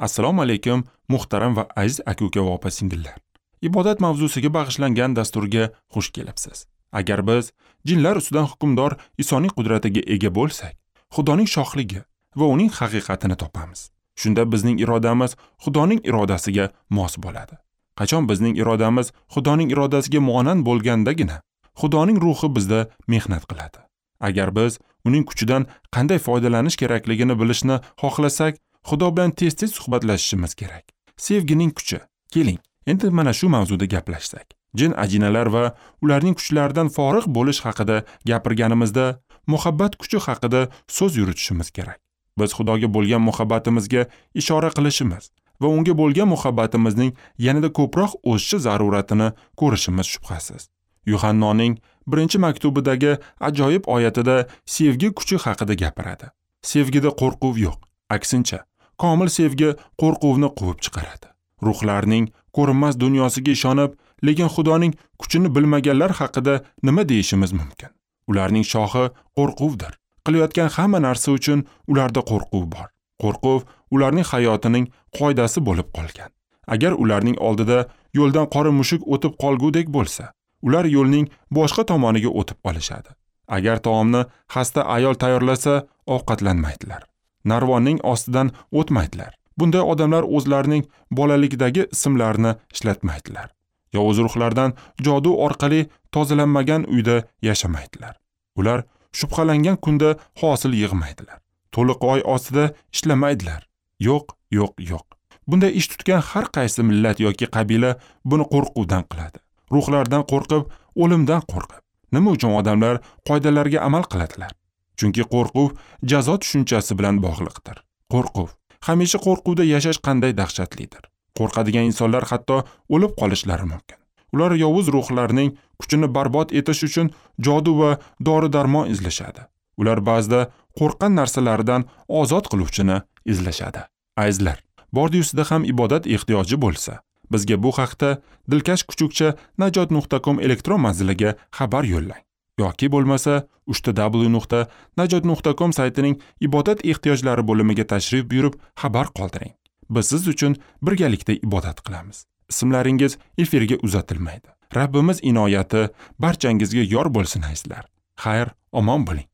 Assalomu alaykum, muhtaram va aziz aka-uka va opa-singillar. Ibodat mavzusiga bag'ishlangan dasturga xush kelibsiz. Agar biz jinlar ustidan hukmdor Isoning qudratiga ega bo'lsak, Xudoning shohligi va uning haqiqatini topamiz. Shunda bizning irodamiz Xudoning irodasiga mos bo'ladi. Qachon bizning irodamiz Xudoning irodasiga monand bo'lgandagina Xudoning ruhi bizda mehnat qiladi. Agar biz uning kuchidan qanday foydalanish kerakligini bilishni xohlasak, Xudo bilan tez-tez suhbatlashishimiz kerak. Sevgining kuchi. Keling, endi mana shu mavzuda gaplashsak. Jin ajinalar va ularning kuchlaridan forig' bo'lish haqida gapirganimizda, muhabbat kuchi haqida so'z yuritishimiz kerak. Biz Xudoga bo'lgan muhabbatimizga ishora qilishimiz va unga bo'lgan muhabbatimizning yanada ko'proq o'sishi zaruratini ko'rishimiz shubhasiz. Yuhannoning 1-maktubidagi ajoyib oyatida sevgi kuchi haqida gapiradi. Sevgida qo'rquv yo'q. Aksincha, komil sevgi qo'rquvni quvib chiqaradi. Ruhlarning ko'rinmas dunyosiga ishonib, lekin Xudoning kuchini bilmaganlar haqida nima deyishimiz mumkin? Ularning shohi qo'rquvdir. Qilayotgan hamma narsa uchun ularda qo'rquv bor. Qo'rquv ularning hayotining qoidasi bo'lib qolgan. Agar ularning oldida yo'ldan qora mushuk o'tib qolgudek bo'lsa, ular yo'lning boshqa tomoniga o'tib olishadi. Agar taomni xasta ayol tayyorlasa, ovqatlanmaydilar. Narvonning ostidan o'tmaydilar. Bunday odamlar o'zlarining bolalikdagi ismlarini ishlatmaydilar. Yovuz ruhlardan jodu orqali tozalanmagan uyda yashamaydilar. Ular shubhalangan kunda hosil yig'maydilar. To'liq oy ostida ishlamaydilar. Yo'q, yo'q, yo'q. Bunday ish tutgan har qaysi millat yoki qabila buni qo'rquvdan qiladi. Ruhlardan qo'rqib, o'limdan qo'rqib. Nima uchun odamlar qoidalarga amal qiladilar? Chunki qo'rquv jazo tushunchasi bilan bog'liqdir. Qo'rquv. Hamisha qo'rquvda yashash qanday dahshatlidir. Qo'rqadigan insonlar hatto o'lib qolishlari mumkin. Ular yovuz ruhlarning kuchini barbod etish uchun jodu va dori-darmon izlashadi. Ular ba'zida qo'rqqan narsalaridan ozod qiluvchini izlashadi. Azizlar, bordi-yusida ham ibodat ehtiyoji bo'lsa, bizga bu haqda dilkash kuchukcha najot.com elektron manziliga xabar yo'llang. Yoki bo'lmasa www.najot.com saytining ibodat ehtiyojlari bo'limiga tashrif buyurib xabar qoldiring. Biz siz uchun birgalikda ibodat qilamiz. Ismlaringiz efirga uzatilmaydi. Rabbimiz inoyati barchangizga yor bo'lsin azizlar. Xayr, omon bo'ling.